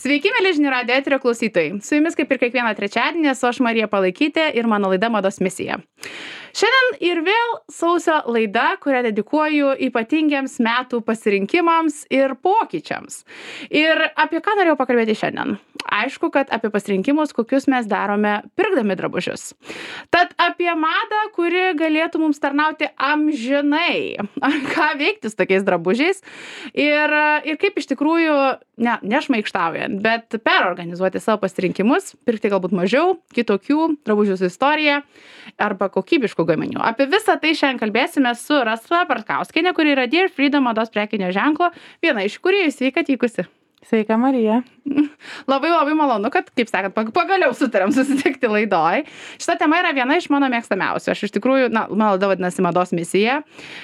Sveiki, mėly žinių radijo eterio klausytojai. Su jumis kaip ir kiekvieną trečiadienį esu aš Marija Palaikytė ir mano laida Mados misija. Šiandien ir vėl sausio laida, kurią dedikuoju ypatingiems metų pasirinkimams ir pokyčiams. Ir apie ką norėjau pakalbėti šiandien? Aišku, kad apie pasirinkimus, kokius mes darome pirkdami drabužius. Tad apie madą, kuri galėtų mums tarnauti amžinai. Ką veikti su tokiais drabužiais ir kaip iš tikrųjų, nešmaikštaujant, bet perorganizuoti savo pasirinkimus, pirkti galbūt mažiau, kitokių drabužių su istorija arba kokybiškų gaminių. Apie visą tai šiandien kalbėsime su Rasa Bartkauskienė, kuri yra Dear Freedom mados prekinio ženklo, viena iš kūrėjų. Sveika atvykusi. Sveika, Marija. Labai malonu, kad, kaip sakant, pagaliau sutarėm susitikti laidoj. Šita tema yra viena iš mano mėgstamiausių. Aš iš tikrųjų, mano laida vadinasi Mados misija.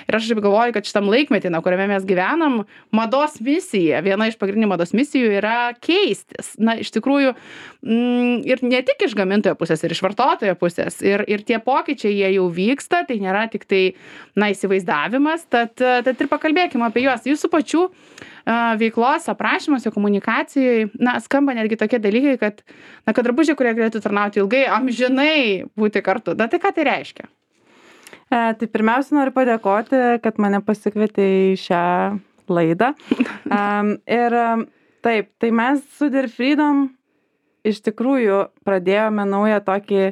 Ir aš galvoju, kad šitam laikmetį, kuriame mes gyvenam, mados misija, viena iš pagrindinių mados misijų yra keistis. Iš tikrųjų, ir ne tik iš gamintojo pusės, ir iš vartotojo pusės. Ir tie pokyčiai, jie jau vyksta, tai nėra tik tai, įsivaizdavimas. Tad ir pakalbėkime apie juos. Jūsų pačių veiklos aprašymuose, komunikacijoje, skamba netgi tokie dalykai, kad drabužiai, kurie galėtų tarnauti ilgai, amžinai būti kartu. Tai ką tai reiškia? Tai pirmiausia, noriu padėkoti, kad mane pasikvietė į šią laidą. Ir taip, tai mes su Dear Freedom iš tikrųjų pradėjome naują tokį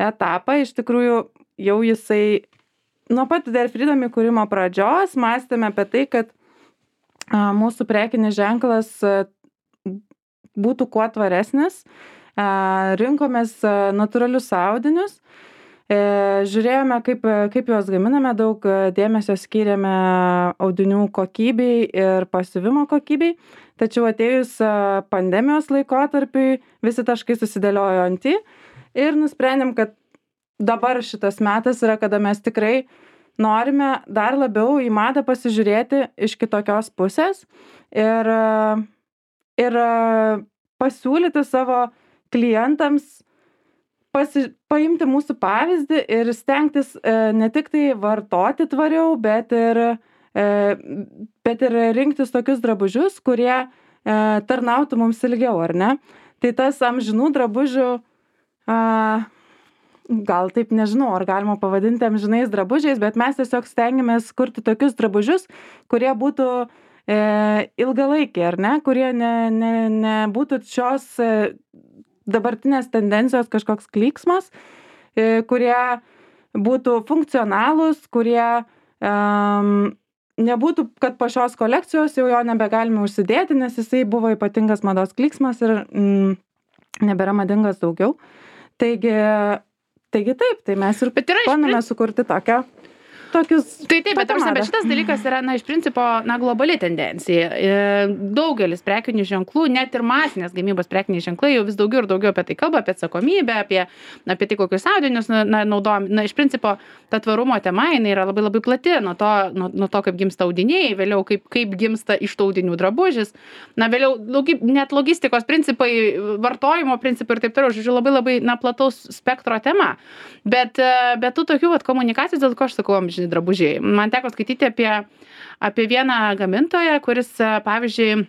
etapą. Iš tikrųjų, jau jisai nuo pat Dear Freedom įkūrimo pradžios mąstėme apie tai, kad mūsų prekinis ženklas būtų kuo tvaresnis. Rinkomės natūralius audinius, žiūrėjome, kaip juos gaminame, daug dėmesio skyrėme audinių kokybei ir pasiuvimo kokybei. Tačiau atėjus pandemijos laikotarpiui visi taškai susidėliojo ant į ir nusprendėm, kad dabar šitas metas yra, kada mes tikrai norime dar labiau į madą pasižiūrėti iš kitokios pusės ir pasiūlyti savo klientams paimti mūsų pavyzdį ir stengtis ne tik tai vartoti tvariau, bet ir rinktis tokius drabužius, kurie tarnautų mums ilgiau, ar ne? Tai tas amžinų drabužių gal taip nežinau, ar galima pavadinti amžinais drabužiais, bet mes tiesiog stengiamės kurti tokius drabužius, kurie būtų ilgalaikiai, ar ne, kurie nebūtų šios dabartinės tendencijos kažkoks klyksmas, kurie būtų funkcionalūs, kurie nebūtų, kad po šios kolekcijos jau jo nebegalime užsidėti, nes jisai buvo ypatingas mados klyksmas ir nebėra madingas daugiau. Taigi taip, tai mes ir bandome sukurti tokius... Taip, bet šitas dalykas yra, iš principo, globali tendencija. Daugelis prekinių ženklų, net ir masinės gamybos prekiniai ženklai jau vis daugiau ir daugiau apie tai kalba, apie atsakomybę, apie tai, kokius audinius naudojam. Iš principo, ta tvarumo tema, jinai yra labai labai plati, nuo to, kaip gimsta audiniai, vėliau kaip gimsta iš tų audinių drabužis, vėliau net logistikos principai, vartojimo principai ir taip toliau, žodžiu, labai labai plataus spektro tema. Bet tų tokių komunikacijų, dėl ko aš sakau, amžini drabužiai. Man teko skaityti apie vieną gamintoją, kuris, pavyzdžiui,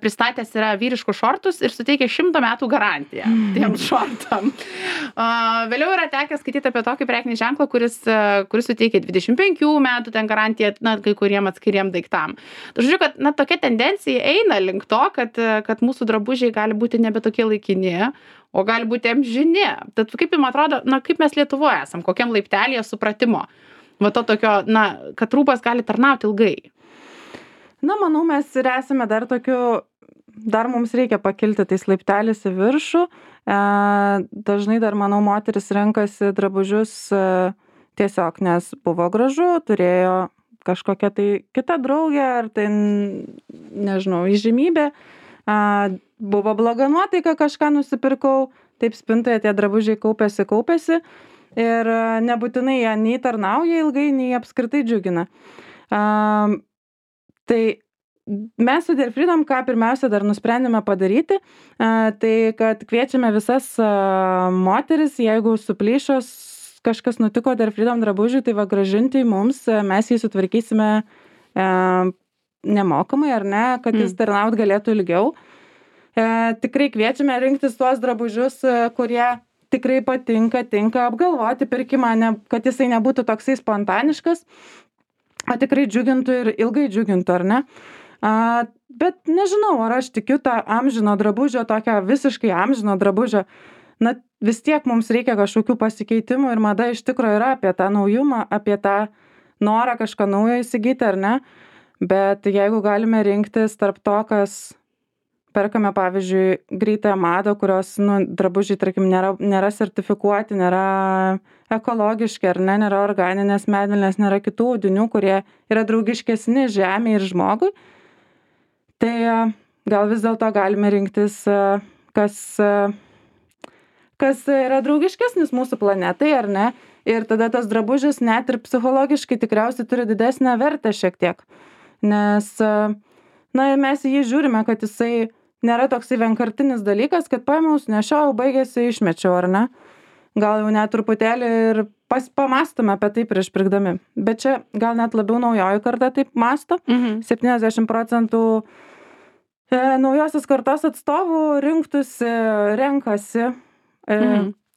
pristatęs yra vyriškus šortus ir suteikia 100 metų garantiją tiems šortam. Vėliau yra tekę skaityti apie tokį prekinį ženklą, kuris suteikia 25 metų ten garantiją, kai kuriem atskiriem daiktam. Žodžiu, kad tokia tendencija eina link to, kad mūsų drabužiai gali būti nebe tokie laikini, o gali būti amžini. Tad kaip jums atrodo, kaip mes Lietuvoje esam, kokiam laiptelėje supratimo? To tokio, kad rūbas gali tarnauti ilgai. Manau, mes ir esame dar mums reikia pakilti tais laiptelis į viršų. Dažnai dar, manau, moteris renkasi drabužius tiesiog, nes buvo gražu, turėjo kažkokią tai kitą draugę, ar tai, nežinau, įžymybė. Buvo bloga nuotaika, kažką nusipirkau, taip spintoje tie drabužiai kaupėsi ir nebūtinai jie nei tarnauja ilgai, nei apskritai džiugina. Tai mes su Dear Freedom, ką pirmiausia dar nusprendėme padaryti, tai kad kviečiame visas moteris, jeigu suplyšos kažkas nutiko Dear Freedom drabužiui, tai grąžinti mums, mes jį sutvarkysime nemokamai, ar ne, kad jis tarnaut galėtų ilgiau. Tikrai kviečiame rinktis tuos drabužius, kurie tikrai patinka, tinka apgalvoti pirkimą, kad jisai nebūtų toksai spontaniškas, o tikrai džiugintų ir ilgai džiugintų, ar ne? Bet nežinau, ar aš tikiu tą amžino drabužio, tokią visiškai amžino drabužio. Na, vis tiek mums reikia kažkokių pasikeitimų ir mada iš tikrųjų yra apie tą naujumą, apie tą norą kažką naujo įsigyti, ar ne? Bet jeigu galime rinktis tarp to, kas perkame, pavyzdžiui, greitąją madą, kurios drabužiai, tarkim, nėra sertifikuoti, nėra ekologiški, ar ne, nėra organinės medvilnės, nėra kitų audinių, kurie yra draugiškesni žemei ir žmogui, tai gal vis dėlto galime rinktis, kas yra draugiškesnis mūsų planetai, ar ne, ir tada tas drabužis net ir psichologiškai tikriausiai turi didesnę vertę šiek tiek, nes, mes į jį žiūrime, kad jisai nėra toksai vienkartinis dalykas, kad paėmiau, nešiau, baigėsi, išmečiau, ar ne? Gal jau net truputėlį ir pamastome apie tai prieš pirkdami. Bet čia gal net labiau naujoji karta taip masto. 70% naujosios kartos atstovų renkasi,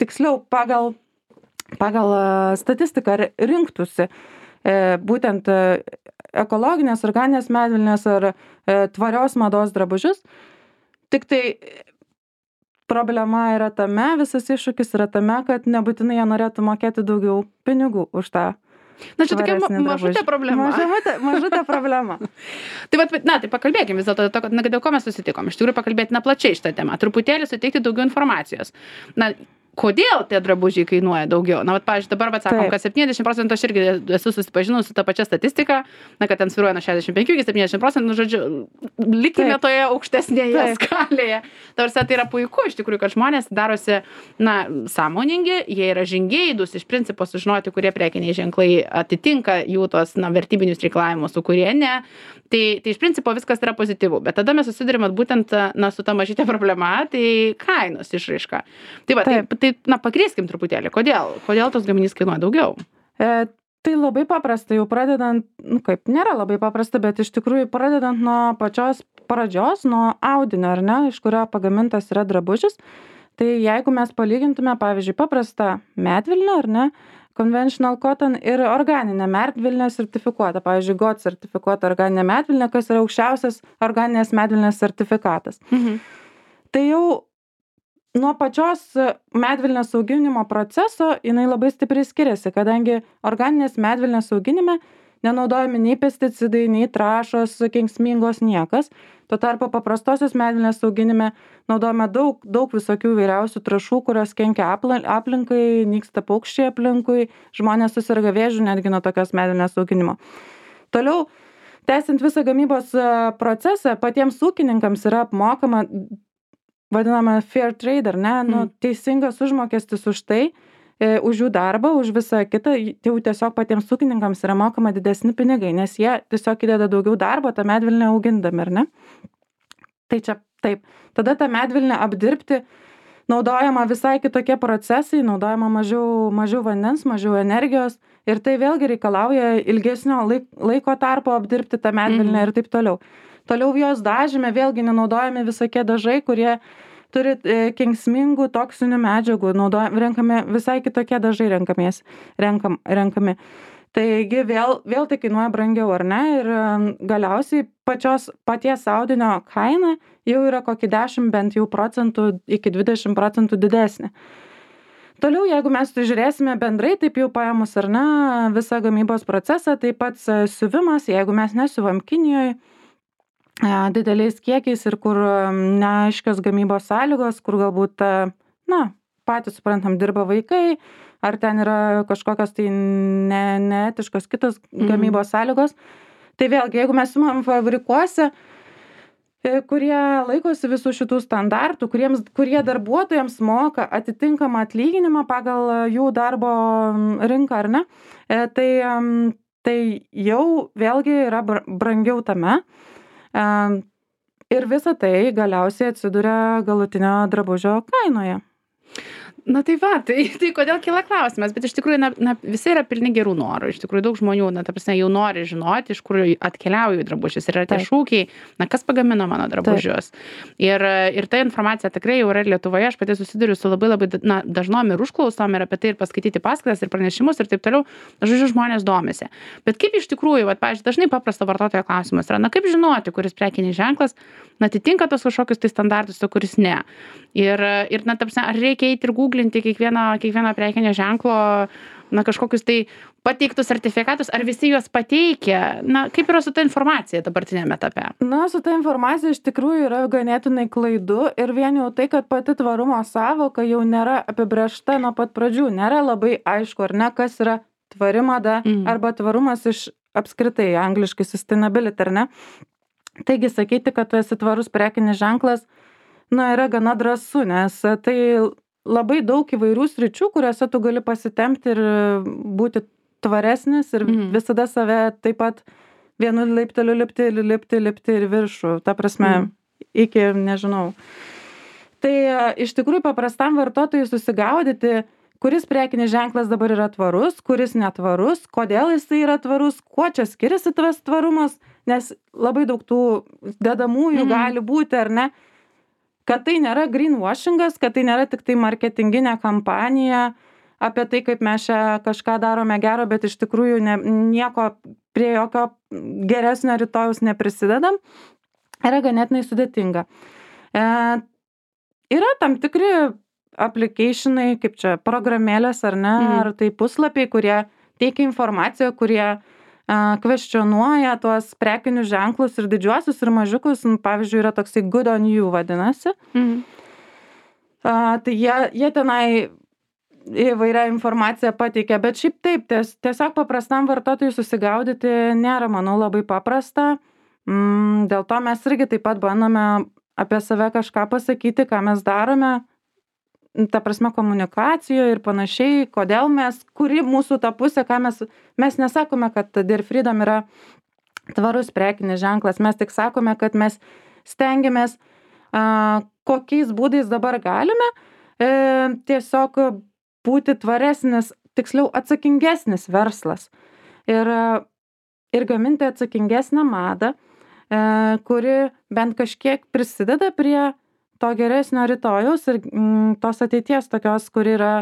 tiksliau pagal statistiką rinktųsi būtent ekologinės, organinės medvilnės ar tvarios mados drabužius. Tik tai problema yra tame, visas iššūkis yra tame, kad nebūtinai jie norėtų mokėti daugiau pinigų už tą. Na, čia tokia mažutė problema. Mažutė problema. Tai pakalbėkime vis dėlto, dėl ko mes susitikom. Iš tikrųjų pakalbėti plačiai šitą temą. Truputėlį suteikti daugiau informacijos. Kodėl tie drabužiai kainuoja daugiau? Pavyzdžiui, dabar sakom, kad 70%, aš irgi esu susipažinus su tą pačią statistiką, kad ten svyruoja nuo 65 iki 70%, žodžiu, likime toje aukštesnėje skalėje. Tai yra puiku, iš tikrųjų, kad žmonės darosi, sąmoningi, jie yra žingeidūs, iš principo sužinoti, kurie prekiniai ženklai atitinka jų tos, vertybinius reikalavimus, su kurie ne. Tai iš principo viskas yra pozityvu, bet tada mes susidurime būtent, su ta mažytė problema, tai kainos išraiška. Pakrieskim truputėlį, kodėl tos gaminys kainuoja daugiau? Tai labai paprasta, jau pradedant, nėra labai paprasta, bet iš tikrųjų pradedant nuo pačios pradžios, nuo audinio, ar ne, iš kurio pagamintas yra drabužis, tai jeigu mes palygintume, pavyzdžiui, paprastą medvilnę, ar ne, conventional cotton ir organinę medvilnę sertifikuotą, pavyzdžiui, GOT sertifikuotą organinę medvilnę, kas yra aukščiausias organinės medvilnės sertifikatas. Tai jau nuo pačios medvilnės auginimo proceso jinai labai stipriai skiriasi, kadangi organinės medvilnės auginime nenaudojami nei pesticidai, nei trąšos kenksmingos niekas. Tuo tarpu paprastosios medvilnės auginime naudojame daug visokių įvairiausių trąšų, kurios kenkia aplinkai, nyksta paukščiai aplinkui, žmonės susirga vėžiu netgi nuo tokios medvilnės auginimo. Toliau, tęsiant visą gamybos procesą, patiems ūkininkams yra apmokama vadinama fair trade, ar ne, teisingas užmokestis už tai, už jų darbą, už visą kitą, jau tiesiog patiems ūkininkams yra mokama didesni pinigai, nes jie tiesiog įdeda daugiau darbo tą medvilnę augindami, ar ne? Tai čia taip. Tada tą medvilnę apdirbti naudojama visai kitokie procesai, naudojama mažiau vandens, mažiau energijos ir tai vėlgi reikalauja ilgesnio laiko tarpo apdirbti tą medvilnę ir taip toliau. Toliau jos dažyme vėlgi nenaudojami visokie dažai, kurie turi kenksmingų toksinių medžiagų, renkami visai kitokie dažai renkami. Taigi vėl tai kainuoja brangiau, ar ne? Ir galiausiai paties audinio kaina jau yra kokį 10 bent jau procentų iki 20% didesnė. Toliau, jeigu mes žiūrėsime bendrai, taip jau paėmus, ar ne, visą gamybos procesą, tai pats siuvimas, jeigu mes nesiuvam Kinijoje, dideliais kiekiais ir kur neaiškios gamybos sąlygos, kur galbūt, patys suprantam, dirba vaikai, ar ten yra kažkokios tai neetiškos kitos gamybos sąlygos. Tai vėlgi, jeigu mes siūlom fabrikuose, kurie laikosi visų šitų standartų, kurie darbuotojams moka atitinkamą atlyginimą pagal jų darbo rinką, ar ne, tai jau vėlgi yra brangiau tame. Ir visa tai galiausiai atsiduria galutinio drabužio kainoje. Na tai va, tai kodėl kyla klausimas, bet iš tikrųjų, visi yra pilni gerų norų, iš tikrųjų daug žmonių, ta prasme, jau nori žinoti, iš kur atkeliauja jų drabužis, yra tie šūkiai, kas pagamino mano drabužius. Ir ta informacija tikrai jau yra Lietuvoje, aš pati susiduriu su labai dažnom ir užklausom ir apie tai ir paskaityti paskaitas ir pranešimus ir taip toliau, žodžiu, žmonės domisi. Bet kaip iš tikrųjų, pavyzdžiui, dažnai paprasto vartotojo klausimas yra, kaip žinoti, kuris prekinis ženklas atitinka tos kažkokius tai standartus, o kuris ne. Ir ta prasme, ar reikia eiti ir googlinti kiekvieno prekinio ženklo, kažkokius tai pateiktus sertifikatus, ar visi juos pateikia? Kaip yra su ta informacija dabartinėme etape? Su ta informacija iš tikrųjų yra ganėtinai klaidu ir vien jau tai, kad pati tvarumo sąvoka jau nėra apibrėžta nuo pat pradžių, nėra labai aišku, ar ne, kas yra tvari mada arba tvarumas iš apskritai angliškai sustainability, ar ne? Taigi sakyti, kad tu esi tvarus prekinis ženklas, yra gana drąsu, nes tai labai daug įvairių sričių, kuriuose tu gali pasitempti ir būti tvaresnis ir visada save taip pat vienu laipteliu lipti ir viršų, ta prasme, iki, nežinau. Tai iš tikrųjų paprastam vartotojui susigaudyti, kuris prekinis ženklas dabar yra tvarus, kuris netvarus, kodėl jis yra tvarus, kuo čia skiriasi tas tvarumas, nes labai daug tų dedamųjų gali būti, ar ne, kad tai nėra greenwashingas, kad tai nėra tik tai marketinginė kampanija apie tai, kaip mes čia kažką darome gero, bet iš tikrųjų nieko prie jokio geresnio rytojaus neprisidedam, yra ganėtinai sudėtinga. Yra tam tikri applicationai, kaip čia programėlės ar ne, ar tai puslapiai, kurie teikia informaciją, kurie kvestionuoja tuos prekinius ženklus ir didžiuosius ir mažiukus, pavyzdžiui, yra toksai Good on You vadinasi. Tai jie tenai įvairią informaciją pateikia, bet šiaip taip, tiesiog paprastam vartotojui susigaudyti nėra, manau, labai paprasta. Dėl to mes irgi taip pat bandome apie save kažką pasakyti, ką mes darome, ta prasme komunikacijoje ir panašiai, kodėl kuri mūsų ta pusė, ką mes nesakome, kad Dear Freedom yra tvarus prekinis ženklas, mes tik sakome, kad mes stengiamės, kokiais būdais dabar galime tiesiog būti tvaresnis, tiksliau atsakingesnis verslas ir gaminti atsakingesnę madą, kuri bent kažkiek prisideda prie to geresnio rytojaus ir tos ateities tokios, kur yra,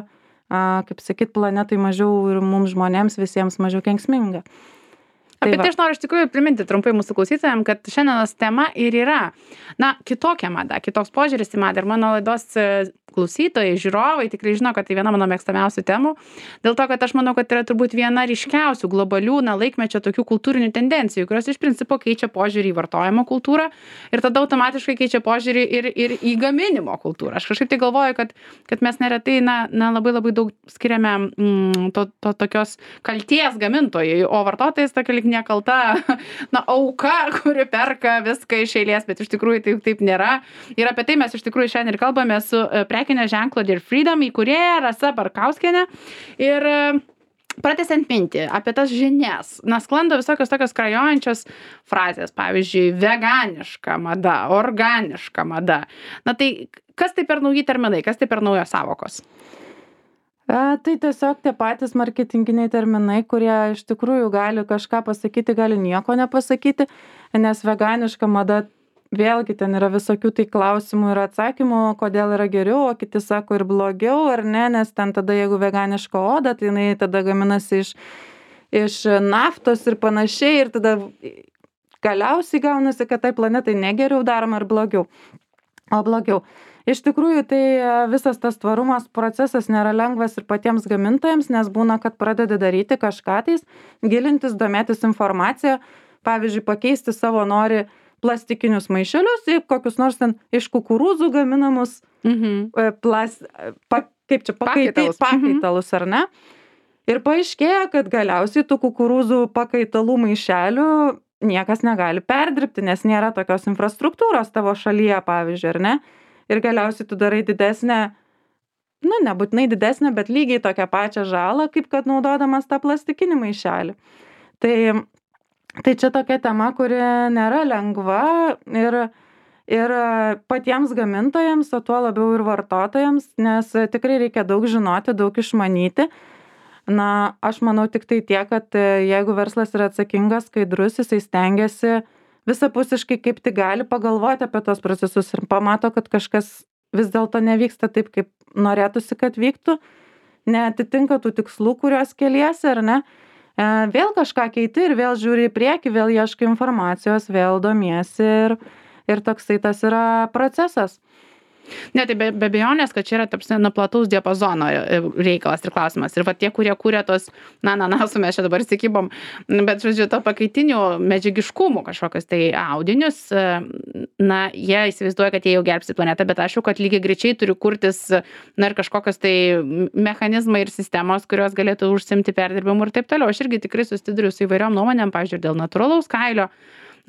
kaip sakyt, planetai mažiau ir mums žmonėms visiems mažiau kenksminga. Apie tai aš noriu iš tikrųjų priminti trumpai mūsų klausytojams, kad šiandienos tema ir yra, kitokia mada, kitoks požiūris į madą ir mano laidos klausytojai, žiūrovai tikrai žino, kad tai viena mano mėgstamiausių temų, dėl to, kad aš manau, kad yra turbūt viena ryškiausių globalių laikmečio tokių kultūrinių tendencijų, kurios iš principo keičia požiūrį į vartojimo kultūrą ir tada automatiškai keičia požiūrį ir į gaminimo kultūrą. Aš kažkaip tai galvoju, kad mes neretai labai daug skiriame to tokios kalties gamintojai, o vartotojas tokia lyg nekalta auka, kuri perka viską iš eilės, bet iš tikrųjų taip nėra. Ir apie tai mes iš tikrųjų šiandien ir kalbame su prekinio ženklo Dear Freedom įkūrėja Rasa Barkauskienė. Ir pratęsiant mintį apie tas žinias, sklando visokios tokios skrajojančios frazės, pavyzdžiui, veganiška mada, organiška mada. Tai kas tai per nauji terminai, kas tai per naujos sąvokos? Tai tiesiog tie patys marketinginiai terminai, kurie iš tikrųjų gali kažką pasakyti, gali nieko nepasakyti, nes veganiška mada, vėlgi ten yra visokių tai klausimų ir atsakymų, kodėl yra geriau, o kiti sako ir blogiau, ar ne, nes ten tada jeigu veganiška oda, tai jinai tada gaminasi iš naftos ir panašiai ir tada galiausiai gaunasi, kad tai planetai negeriau daroma ar blogiau, o blogiau. Iš tikrųjų, tai visas tas tvarumas procesas nėra lengvas ir patiems gamintojams, nes būna, kad pradedi daryti kažką tais, gilintis, domėtis informaciją, pavyzdžiui, pakeisti savo nori plastikinius maišelius į kokius nors ten iš kukurūzų gaminamus pakaitalus, ar ne? Ir paaiškėja, kad galiausiai tų kukurūzų pakaitalų maišelių niekas negali perdirbti, nes nėra tokios infrastruktūros tavo šalyje, pavyzdžiui, ar ne? Ir galiausiai tu darai didesnę, nebūtinai didesnę, bet lygiai tokią pačią žalą, kaip kad naudodamas tą plastikinį maišelį. Tai čia tokia tema, kuri nėra lengva ir patiems gamintojams, o tuo labiau ir vartotojams, nes tikrai reikia daug žinoti, daug išmanyti. Na, aš manau tik tai tiek, kad jeigu verslas yra atsakingas, skaidrus, jisai stengiasi visapusiškai kaip tik gali pagalvoti apie tos procesus ir pamato, kad kažkas vis dėlto nevyksta taip, kaip norėtųsi, kad vyktų, neatitinka tų tikslų, kuriuos keliesi, ar ne, vėl kažką keiti ir vėl žiūri į priekį, vėl ieškai informacijos, vėl domiesi ir toksai tas yra procesas. Ne, tai be abejonės, kad čia yra plataus diapazono reikalas ir klausimas. Ir va tie, kurie kūrė tos, ananasų mes čia dabar įsikibom, bet, žodžiu, to pakaitinių medžiagiškumų kažkokius tai audinius, jie įsivaizduoja, kad jie jau gelbsti planetą, bet aš jau, kad lygiai greičiai turi kurtis, ir kažkokios tai mechanizmai ir sistemos, kurios galėtų užsimti perdirbimu ir taip toliau. Aš irgi tikrai susiduriu su įvairiom nuomonėm, pavyzdžiui, dėl natūralaus kailio.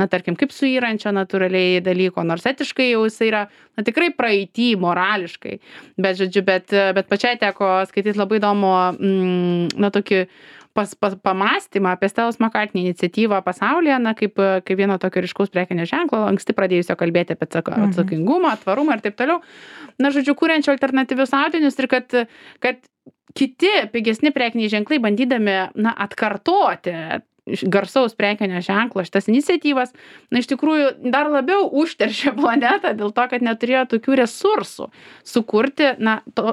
Tarkim, kaip suyrančio natūraliai dalyko, nors etiškai jau jis yra, tikrai praeity, morališkai. Bet, žodžiu, bet pačiai teko skaityti labai įdomu, tokį pamastymą apie Stellos McCartney iniciatyvą pasaulyje, kaip vieno tokio ryškaus prekinio ženklo, anksti pradėjusio kalbėti apie atsakingumą, tvarumą ir taip toliau. Žodžiu, kuriančio alternatyvius audinius ir kad kiti pigesni prekiniai ženklai bandydami, atkartoti garsaus prekinio ženklo šitas iniciatyvas, iš tikrųjų dar labiau užteršė planetą dėl to, kad neturėjo tokių resursų sukurti,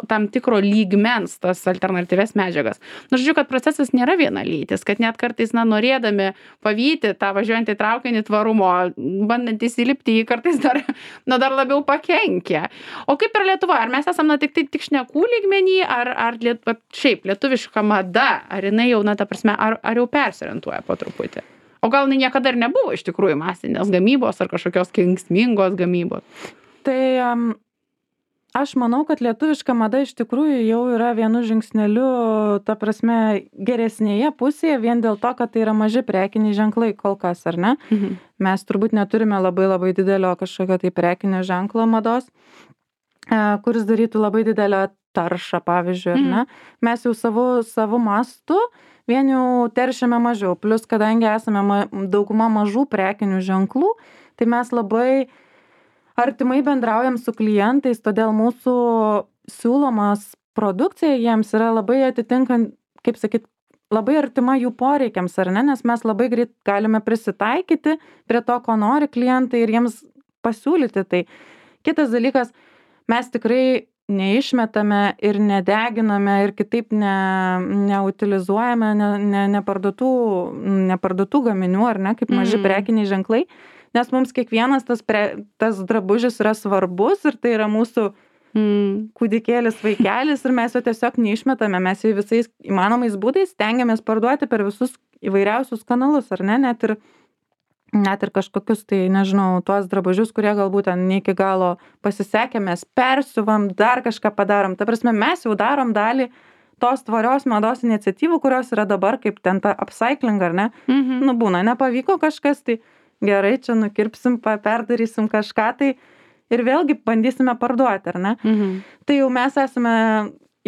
tam tikro lygmens tas alternatyvias medžiagas. Žodžiu, kad procesas nėra vienalytis, kad net kartais, norėdami pavyti tą važiuojantį traukinį tvarumo, bandant įsilipti jį kartais dar labiau pakenkia. O kaip ir Lietuva, ar mes esam tik šnekų lygmenį, ar šiaip lietuviška mada, ar jinai jau, ta prasme, ar jau persiorientuoja po truputį. O gal niekada ir nebuvo iš tikrųjų masinės gamybos ar kažkokios kenksmingos gamybos? Tai aš manau, kad lietuviška mada iš tikrųjų jau yra vienu žingsneliu, ta prasme, geresnėje pusėje, vien dėl to, kad tai yra maži prekiniai ženklai kol kas, ar ne? Mes turbūt neturime labai didelio kažkokio tai prekinio ženklo mados, kuris darytų labai didelę taršą, pavyzdžiui, ar ne? Mes jau savo mastu vien jau teršiame mažiau, plus kadangi esame dauguma mažų prekinių ženklų, tai mes labai artimai bendraujam su klientais, todėl mūsų siūlomas produkcija jiems yra labai atitinkant, kaip sakyt, labai artima jų poreikiams, ar ne, nes mes labai greit galime prisitaikyti prie to, ko nori klientai ir jiems pasiūlyti. Tai kitas dalykas, mes tikrai neišmetame ir nedeginame ir kitaip neutilizuojame neparduotų gaminių, ar ne, kaip maži prekiniai ženklai, nes mums kiekvienas tas drabužis yra svarbus ir tai yra mūsų kūdikėlis, vaikelis ir mes jo tiesiog neišmetame, mes jį visais įmanomais būdais stengiamės parduoti per visus įvairiausius kanalus, ar ne, net ir kažkokius, tai nežinau, tuos drabužius, kurie galbūt ten ne iki galo pasisekė, mes persiuvam, dar kažką padarom. Ta prasme, mes jau darom dalį tos tvarios mados iniciatyvų, kurios yra dabar kaip ten ta upcycling, ar ne? Būna, nepavyko kažkas, tai gerai, čia nukirpsim, perdarysim kažką, tai ir vėlgi bandysime parduoti, ar ne? Tai jau mes esame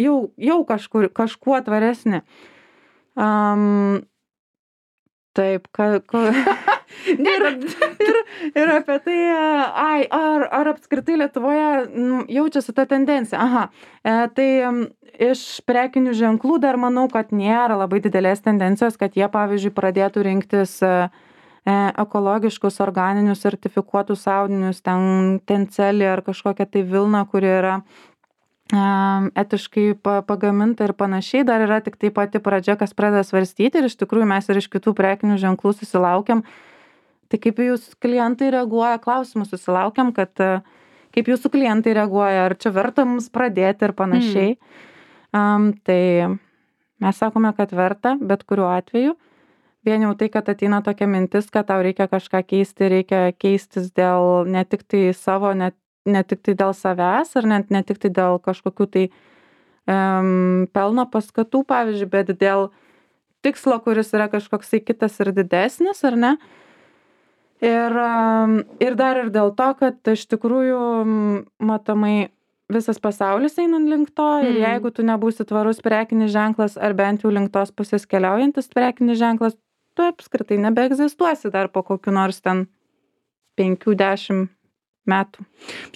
jau kažkuo tvaresni. Taip, ir apie tai, ar apskritai Lietuvoje jaučiasi ta tendencija. Tai iš prekinių ženklų dar manau, kad nėra labai didelės tendencijos, kad jie, pavyzdžiui, pradėtų rinktis ekologiškus, organinius, sertifikuotus audinius, ten tencelį ar kažkokią tai vilną, kuri yra etiškai pagaminta ir panašiai, dar yra tik tai pati pradžia, kas pradeda svarstyti ir iš tikrųjų mes ir iš kitų prekinių ženklų susilaukiam. Tai kaip jūsų klientai reaguoja, klausimus susilaukiam, kad kaip jūsų klientai reaguoja, ar čia verta mums pradėti ir panašiai. Tai mes sakome, kad verta, bet kuriuo atveju. Vien jau tai, kad ateina tokia mintis, kad tau reikia kažką keisti, reikia keistis dėl ne tik tai savo, ne tik tai dėl savęs, ar ne tik tai dėl kažkokių tai pelno paskatų, pavyzdžiui, bet dėl tikslo, kuris yra kažkoksai kitas ir didesnis, ar ne? Ir dar ir dėl to, kad iš tikrųjų matomai visas pasaulis eina link to ir jeigu tu nebūsi tvarus prekinis ženklas ar bent jau link tos pusės keliaujantis prekinis ženklas, tu apskritai nebeegzistuosi dar po kokiu nors ten 5-10 metų.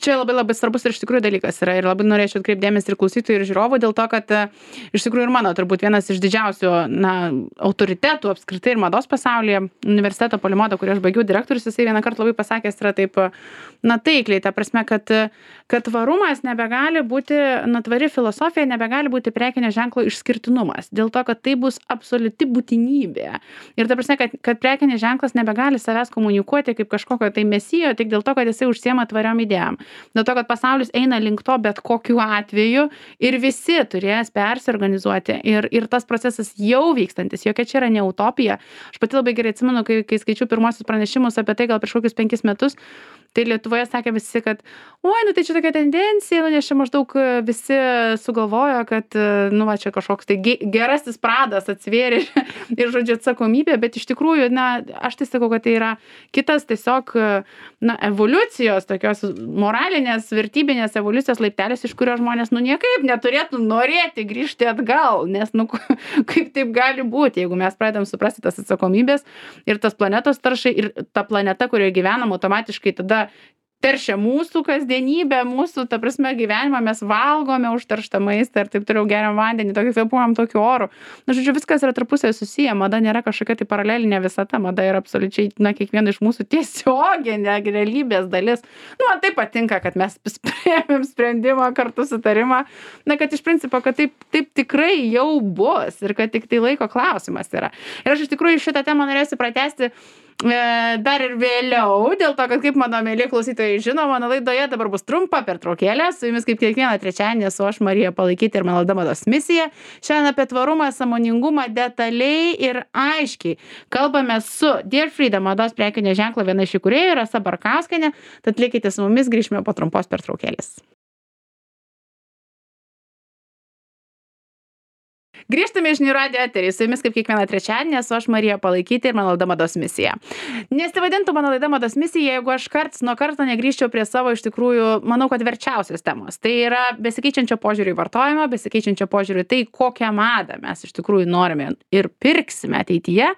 Čia labai labai svarbus ir iš tikrųjų dalykas yra ir labai norėčiau atkreipti dėmesį ir klausytojų, ir žiūrovų, dėl to, kad iš tikrųjų ir mano turbūt vienas iš didžiausių autoritetų apskritai ir mados pasaulyje, universiteto Polimodo, kurį aš baigiau, direktorius, jisai vieną kartą labai pasakęs yra taip, taikliai, ta prasme, kad tvarumas nebegali būti, tvari filosofija nebegali būti prekinio ženklo išskirtinumas, dėl to, kad tai bus absoliuti būtinybė. Ir ta prasme, kad prekinis ženklas nebegali savęs komunikuoti kaip kažkokio tai mesijo, tik dėl to, kad jisai užsiema tvariom idėjom. Dėl to, kad pasaulis eina link to bet kokiu atveju ir visi turės persiorganizuoti ir tas procesas jau vykstantis, jokia čia yra ne utopija. Aš pati labai gerai atsimenu, kai skaičiau pirmosius pranešimus apie tai gal prieš kokius 5 metus, tai Lietuvoje sakė visi, kad tai čia tokia tendencija, nes čia maždaug visi sugalvojo, kad, čia kažkoks tai gerasis pradas atsvėrė ir, žodžiu, atsakomybė, bet iš tikrųjų, aš tai sakau, kad tai yra kitas tiesiog, evoliucijos, tokios moralinės, vertybinės evoliucijos laiptelis, iš kurio žmonės, niekaip neturėtų norėti grįžti atgal, nes, kaip taip gali būti, jeigu mes pradedam suprasti tas atsakomybės ir tas planetos taršai ir ta planeta, kurioje gyvenam, automatiškai tada teršia mūsų kasdienybę, mūsų, ta prasme, gyvenimą, mes valgome užterštą maistą ir taip toliau, geriam vandenį, tokį kvėpuojam tokiu oru. Žodžiu, viskas yra tarpusavy susiję, mada nėra kažkokia tai paralelinė visata, mada yra absoliučiai, kiekviena iš mūsų tiesioginė realybės dalis. Man tai patinka, kad mes priėmėm sprendimą, kartu sutarimą, kad iš principo, kad taip tikrai jau bus ir kad tik tai laiko klausimas yra. Ir aš iš tikrųjų šitą temą norėsiu pratęsti dar ir vėliau, dėl to, kad kaip mano mėly klausytojai žino, mano laidoje dabar bus trumpa pertraukėlė, su jumis kaip kiekvieną trečiadienį esu aš, Marija Palaikyti ir mano laida Mados misija. Šiandien apie tvarumą, sąmoningumą detaliai ir aiškiai kalbame su Dear Freedom mados prekinio ženklo viena iš įkūrėjų, Rasa Barkauskienė, tad likite su mumis, grįžime po trumpos pertraukėlės. Grįžtame į Žinių radijo eterį, su jumis kaip kiekvieną trečiadienį esu aš, Marija Palaikyti ir mano laida Mados misija. Nesivadintų mano laida Mados misija, jeigu aš karts nuo karto negrįžčiau prie savo iš tikrųjų, manau, kad verčiausios temos. Tai yra besikeičiančio požiūrį į vartojimą, besikeičiančio požiūrį į tai, kokią madą mes iš tikrųjų norime ir pirksime ateityje,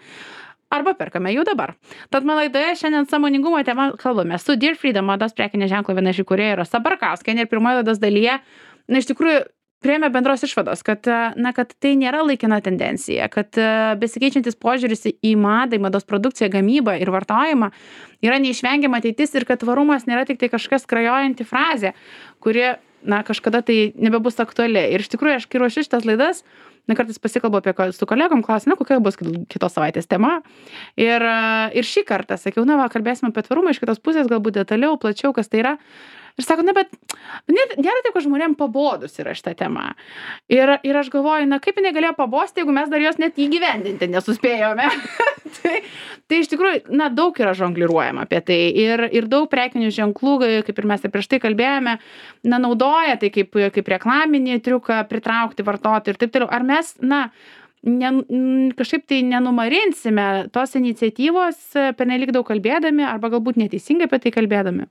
arba perkame jau dabar. Tad mano laidoje šiandien sąmoningumo tema kalbame su Dear Freedom mados prekinio ženklo viena iš įkūrėjų Rasa Barkauskienė ir pirmoje laidos dalyje, iš tikrųjų, priėmė bendros išvados, kad tai nėra laikina tendencija, kad besikeičiantis požiūris į madą, į mados produkciją, gamybą ir vartojimą yra neišvengiama ateitis ir kad tvarumas nėra tik tai kažkas skrajojanti frazė, kuri, kažkada tai nebebus aktuali. Ir iš tikrųjų, aš kai ruošiu šitas laidas, kartais pasikalbu su kolegom, klausiu, kokia bus kitos savaitės tema. Ir šį kartą sakiau, kalbėsime apie tvarumą iš kitos pusės, galbūt detaliau, plačiau, kas tai yra. Ir sako, bet nėra taip, kad žmonėm pabodus yra šitą temą. Ir aš galvoju, kaip jinai galėjo pabosti, jeigu mes dar jos net įgyvendinti nesuspėjome. tai iš tikrųjų, daug yra žongliruojama apie tai. Ir daug prekinių ženklų, kaip ir mes ir prieš tai kalbėjome, naudoja tai kaip reklaminį triuką pritraukti vartotojų ir taip toliau. Ar mes, kažkaip tai nenumarinsime tos iniciatyvos pernelyg daug kalbėdami arba galbūt neteisingai apie tai kalbėdami?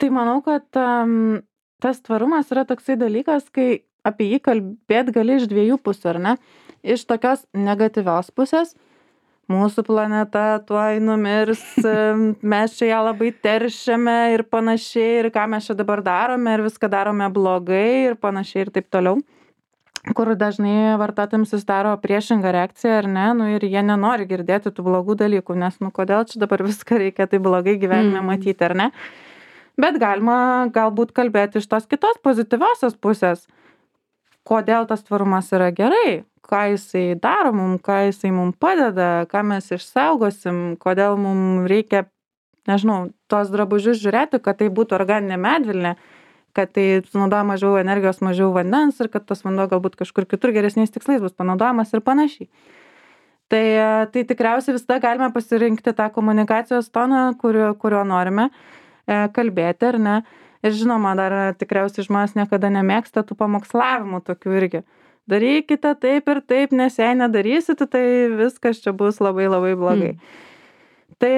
Tai manau, kad tas tvarumas yra toksai dalykas, kai apie jį kalbėt gali iš dviejų pusių, ar ne? Iš tokios negatyvios pusės, mūsų planeta tuoj numirs, mes čia ją labai teršiame ir panašiai, ir ką mes čia dabar darome, ir viską darome blogai ir panašiai ir taip toliau. Kur dažnai vartotojams susidaro priešinga reakcija, ar ne, ir jie nenori girdėti tų blogų dalykų, nes kodėl čia dabar viską reikia tai blogai gyvenime matyti, ar ne? Bet galima galbūt kalbėti iš tos kitos pozityviosios pusės, kodėl tas tvarumas yra gerai, ką jisai daro mum, ką jisai mum padeda, ką mes išsaugosim, kodėl mum reikia, tuos drabužius žiūrėti, kad tai būtų organinė medvilnė, kad tai sunaudoja mažiau energijos, mažiau vandens ir kad tas vanduo galbūt kažkur kitur geresniais tikslais bus panaudojamas ir panašiai. Tai tikriausiai visada galime pasirinkti tą komunikacijos toną, kurio norime kalbėti, ar ne. Ir žinoma, dar tikriausiai žmonės niekada nemėgsta tų pamokslavimų tokių irgi. Darykite taip ir taip, nes jei nedarysite, tai viskas čia bus labai labai blogai. Tai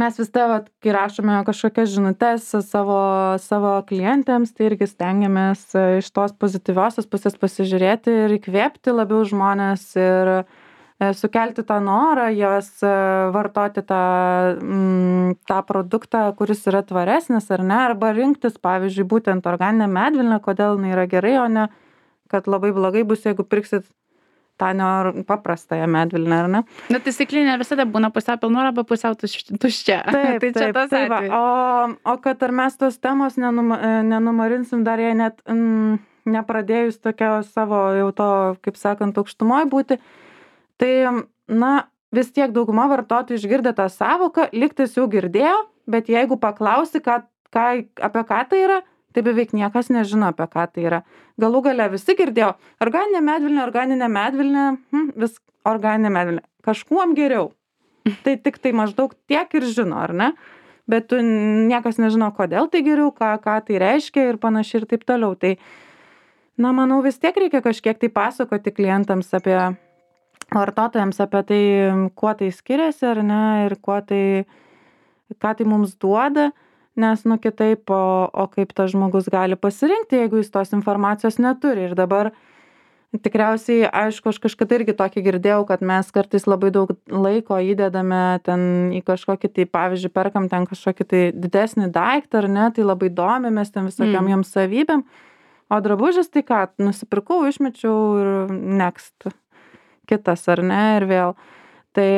mes vis tai, kai rašome kažkokias žinutes savo klientėms, tai irgi stengiamės iš tos pozityviosios pusės pasižiūrėti ir įkvėpti labiau žmonės ir sukelti tą norą jos vartoti tą produktą, kuris yra tvaresnis ar ne, arba rinktis, pavyzdžiui, būtent organinę medvilnę, kodėl jinai yra gerai, o ne, kad labai blogai bus, jeigu pirksit tą paprastąją medvilnę, ar ne? Na, tai stiklinė visada būna pusiau pilna arba pusiau tuščia. Taip, tai čia tas taip, atvejis. o kad ar mes tos temos nenumarinsim dar jei net nepradėjus tokio savo jau to, kaip sakant, aukštumoj būti, tai, na, vis tiek dauguma vartotojų išgirdę tą savoką, lygtais jau girdėjo, bet jeigu paklausi, apie ką tai yra, tai beveik niekas nežino, apie ką tai yra. Galų gale visi girdėjo, organinė medvilnė, vis organinė medvilnė, kažkuom geriau. Tai tik tai maždaug tiek ir žino, ar ne? Bet niekas nežino, kodėl tai geriau, ką tai reiškia ir panašiai ir taip toliau. Tai, na, manau, vis tiek reikia kažkiek tai pasakoti klientams vartotojams apie tai, kuo tai skiriasi, ar ne, ir ką tai mums duoda, nes, nu, kitaip, o kaip tas žmogus gali pasirinkti, jeigu jis tos informacijos neturi. Ir dabar tikriausiai, aišku, aš kažkada irgi tokį girdėjau, kad mes kartais labai daug laiko įdedame ten į kažkokį, tai pavyzdžiui, perkam ten kažkokį tai didesnį daiktą, ar ne, tai labai domimės ten visokiam joms savybėm, o drabužis tai ką, nusipirkau, išmečiau ir next. Kitas, ar ne, ir vėl. Tai,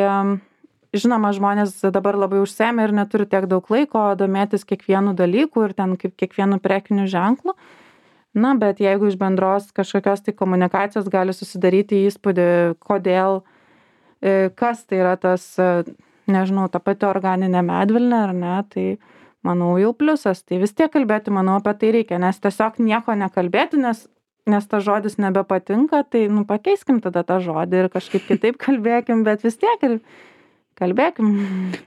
žinoma, žmonės dabar labai užsiėmę ir neturi tiek daug laiko domėtis kiekvienu dalyku ir ten kaip kiekvienu prekiniu ženklu. Na, bet jeigu iš bendros kažkokios tai komunikacijos gali susidaryti įspūdį, kodėl, kas tai yra tas, nežinau, ta pati organinė medvilnė, ar ne, tai manau jau pliusas. Tai vis tiek kalbėti, manau, apie tai reikia, nes tiesiog nieko nekalbėti, nes tas žodis nebepatinka, tai, nu, pakeiskim tada tą žodį ir kažkaip kitaip kalbėkim, bet vis tiek ir kalbėkim.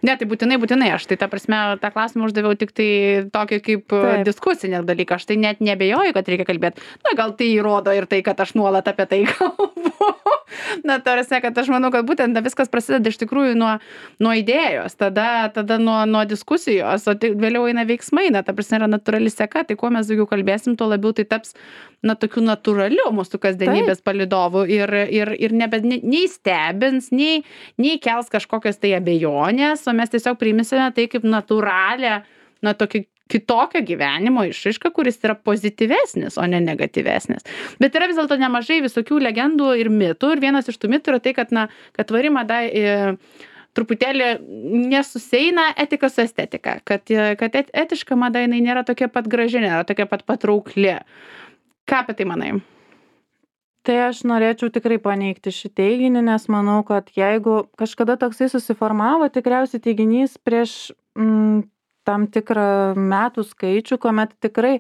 Ne, tai būtinai. Aš tai ta prasme, tą klausimą uždaviau tik tai tokį kaip diskusinį dalyką. Aš tai net nebejoju, kad reikia kalbėti. Na, gal tai įrodo ir tai, kad aš nuolat apie tai kalbu. Na, tarsi, kad aš manau, kad būtent viskas prasideda iš tikrųjų nuo idėjos, tada nuo diskusijos, o tai vėliau eina veiksmai, na, ta prasme yra natūrali seka, tai kuo mes daugiau kalbėsim, tuo labiau tai taps, na, tokiu natūraliu mūsų kasdienybės palydovų ir nei stebins, nei kels kažkokios tai abejonės, o mes tiesiog priimsime tai kaip natūralią, na, tokį kitokio gyvenimo išraišką, kuris yra pozityvesnis, o ne negatyvesnis. Bet yra vis dėlto nemažai visokių legendų ir mitų, ir vienas iš tų mitų yra tai, kad tvari mada truputėlį nesuseina etika su estetika, kad etiška mada jinai nėra tokia pat graži, nėra tokia pat patraukli. Ką apie tai manai? Tai aš norėčiau tikrai paneigti šį teiginį, nes manau, kad jeigu kažkada toksai susiformavo, tikriausiai teiginys prieš tam tikrą metų skaičių, kuomet tikrai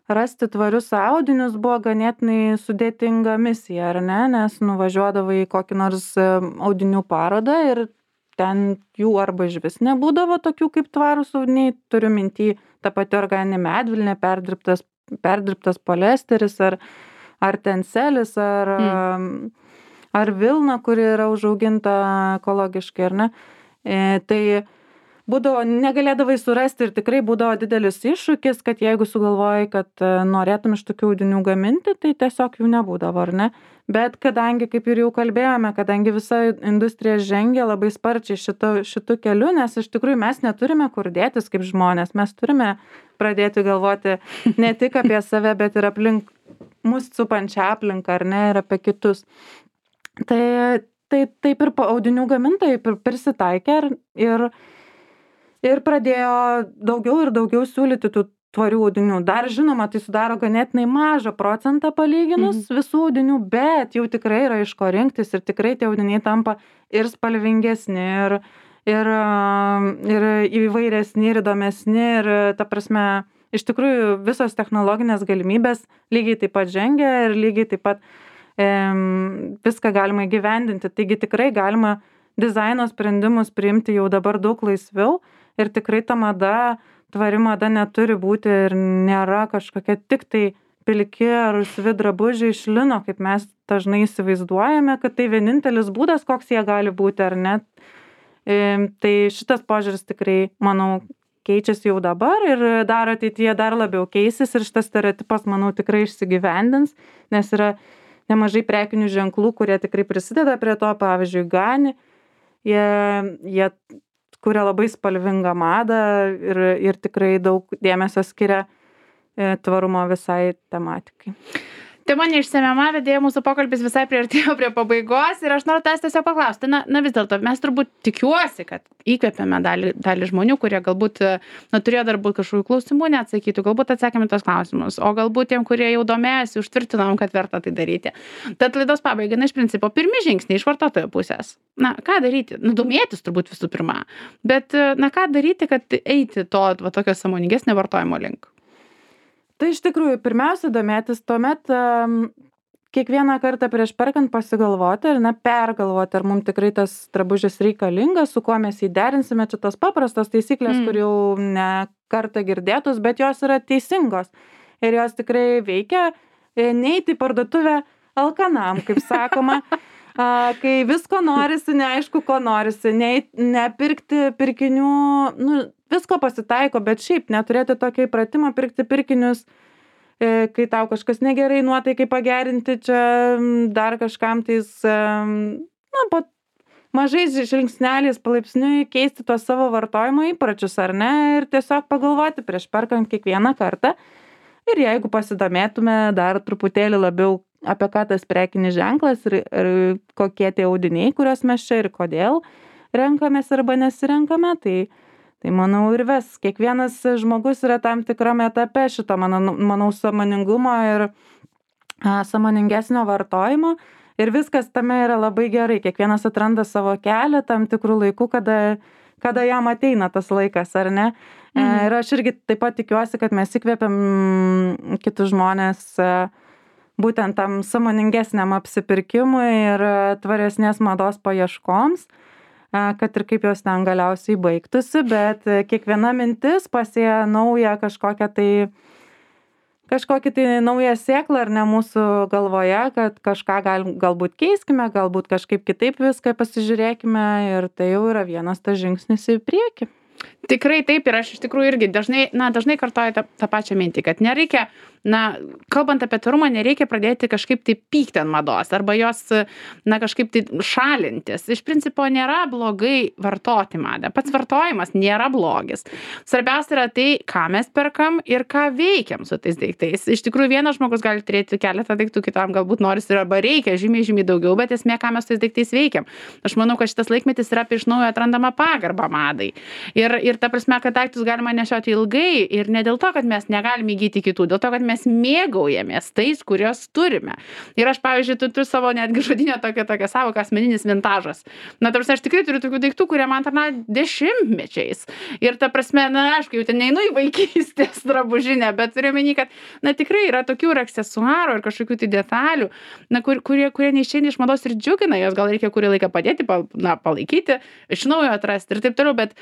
rasti tvarius audinius buvo ganėtinai sudėtinga misija, ar ne, nes nuvažiuodavai į kokį nors audinių parodą ir ten jų arba išvis nebūdavo tokių kaip tvarūs audiniai, turiu minty tą pati organinė medvilnė, perdirbtas poliesteris ar tenselis, ar vilna, kuri yra užauginta ekologiškai, ar ne. Tai būdavo, negalėdavai surasti ir tikrai būdavo didelis iššūkis, kad jeigu sugalvojai, kad norėtum iš tokių audinių gaminti, tai tiesiog jų nebūdavo, ar ne? Bet kadangi, kaip ir jau kalbėjome, kadangi visa industrija žengia labai sparčiai šitu keliu, nes iš tikrųjų mes neturime kur dėtis kaip žmonės, mes turime pradėti galvoti ne tik apie save, bet ir aplink mus supančią aplinką, ar ne, ir apie kitus. Tai taip ir audinių gamintojai prisitaikė ir pradėjo daugiau ir daugiau siūlyti tų tvarių audinių. Dar žinoma, tai sudaro ganėtinai mažą procentą palyginus visų audinių, bet jau tikrai yra iš ko rinktis ir tikrai tie audiniai tampa ir spalvingesni, ir įvairesni, ir įdomesni, ir ta prasme, iš tikrųjų visos technologinės galimybės lygiai taip pat žengia ir lygiai taip pat viską galima įgyvendinti. Taigi tikrai galima dizaino sprendimus priimti jau dabar daug laisviau. Ir tikrai ta mada, tvari mada neturi būti ir nėra kažkokia tik tai pilki ar rusvi drabužiai iš lino, kaip mes dažnai įsivaizduojame, kad tai vienintelis būdas, koks jie gali būti ar ne. Tai šitas požiūris tikrai, manau, keičiasi jau dabar ir ateityje dar labiau keisis ir šitas stereotipas, manau, tikrai išsigyvendins, nes yra nemažai prekinių ženklų, kurie tikrai prisideda prie to, pavyzdžiui, Gani, jie kuria labai spalvingą madą ir tikrai daug dėmesio skiria tvarumo visai tematikai. Tema neišsemiama, vedėja, mūsų pokalbis visai priartėjo prie pabaigos ir aš noriu tavęs tiesiog paklausti, na vis dėlto mes turbūt tikiuosi, kad įkvėpėme dalį žmonių, kurie galbūt turėjo dar būt kažkokių klausimų neatsakytų, galbūt atsakėme tos klausimus, o galbūt tiem, kurie jau domėjasi, užtvirtinom, kad verta tai daryti. Tad laidos pabaiga, iš principo, pirmi žingsniai iš vartotojo pusės. Na, ką daryti? Domėtis turbūt visų pirma, bet ką daryti, kad eiti to tokio sąmoningesnio vartojimo link? Tai iš tikrųjų, pirmiausia domėtis, tuomet kiekvieną kartą prieš perkant pasigalvoti ir pergalvoti, ar mums tikrai tas drabužis reikalingas, su kuo mes jį derinsime, čia tos paprastos taisyklės, kur jau ne kartą girdėtus, bet jos yra teisingos ir jos tikrai veikia, neiti į parduotuvę alkanam, kaip sakoma, kai visko norisi, neaišku, ko norisi, nepirkti pirkinių, visko pasitaiko, bet šiaip neturėti tokio įpratimo pirkti pirkinius, kai tau kažkas negerai nuotaikai pagerinti, čia dar kažkam tais, po mažais žingsneliais palaipsniui keisti tos savo vartojimo įpročius, ar ne, ir tiesiog pagalvoti prieš perkant kiekvieną kartą. Ir jeigu pasidomėtume dar truputėlį labiau apie ką tas prekinis ženklas ir kokie tie audiniai, kuriuos mes čia ir kodėl renkamės arba nesirenkame, tai manau ir ves. Kiekvienas žmogus yra tam tikrame etape šito, manau, sąmoningumo ir sąmoningesnio vartojimo ir viskas tame yra labai gerai. Kiekvienas atranda savo kelią tam tikrų laikų, kada jam ateina tas laikas, ar ne? Ir aš irgi taip pat tikiuosi, kad mes įkvėpiam kitus žmonės būtent tam sąmoningesniam apsipirkimui ir tvaresnės mados paieškoms, kad ir kaip jos ten galiausiai baigtųsi, bet kiekviena mintis pasėja naują kažkokį tai naują sėklą ar ne mūsų galvoje, kad kažką galbūt keiskime, galbūt kažkaip kitaip viską pasižiūrėkime ir tai jau yra vienas tas žingsnis į priekį. Tikrai taip ir aš iš tikrųjų irgi dažnai kartoju tą pačią mintį, kad nereikia, kalbant apie tvarumą, nereikia pradėti kažkaip tai pykti ant mados arba jos, kažkaip tai šalintis. Iš principo nėra blogai vartoti madą. Pats vartojimas nėra blogis. Svarbiausia yra tai, ką mes perkam ir ką veikiam su tais daiktais. Iš tikrųjų, vienas žmogus gali turėti keletą daiktų, kitam galbūt norisi arba reikia žymiai daugiau, bet esmė, ką mes su tais daiktais veikiam. Aš manau, kad šitas laikmetis yra iš naujo atrandama pagarba madai. Ir ta prasme, kad daiktus galima nešioti ilgai ir ne dėl to, kad mes negalime įgyti kitų, dėl to, kad mes mėgaujamės tais, kurios turime. Ir aš, pavyzdžiui, turiu savo netgi žodinę tokią savoką asmeninis vintažas. Ta prasme, aš tikrai turiu tokių daiktų, kurie man tarnauja dešimtmečiais. Ir ta prasme, aišku, jau ten neinu į vaikystės drabužinę, bet turiu omeny, kad, tikrai yra tokių ir aksesuarų ir kažkokių tai detalių, kurie neišeina iš mados ir džiugina, jos gal reikia kurį laiką padėti, palaikyti, iš naujo atrasti ir taip toliau, bet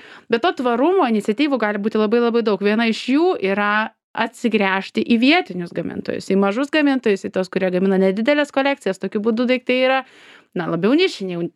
to tvarumo iniciatyvų gali būti labai daug. Viena iš jų yra atsigręžti į vietinius gamintojus, į mažus gamintojus, į tos, kurie gamina nedidelės kolekcijas. Tokiu būdu daiktai yra labiau nišiniai,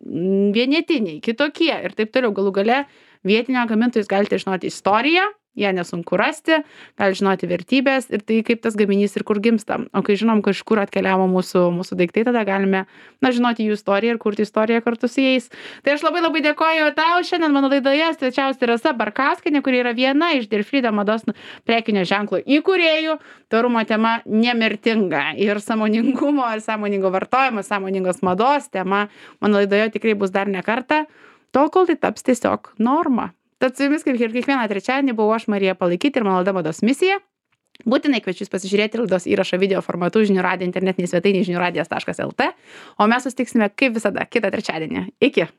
vienetiniai, kitokie ir taip toliau. Galų gale vietinio gamintojus galite žinoti istoriją, ją nesunku rasti, gali žinoti vertybės ir tai kaip tas gaminys ir kur gimsta. O kai žinom, kažkur atkeliavo mūsų daiktai, tada galime žinoti jų istoriją ir kurti istoriją kartu su jais. Tai aš labai dėkoju tau. Šiandien mano laidoje svečiavosi Rasa Barkauskienė, kuri yra viena iš Dear Freedom mados prekinio ženklo įkūrėjų. Tvarumo tema nemirtinga ir sąmoningumo ir sąmoningo vartojimo, sąmoningos mados tema mano laidoje tikrai bus dar ne kartą, tol kol tai taps tiesiog norma. Tad su jumis, kaip ir kiekvieną trečiadienį, buvau aš Marija Palaikyti ir mano laida Mados misija. Būtinai kviečiu jūs pasižiūrėti laidos įrašą video formatu žinių radijo internetinėje svetainėje žiniųradijas.lt, o mes susitiksime kaip visada kitą trečiadienį. Iki!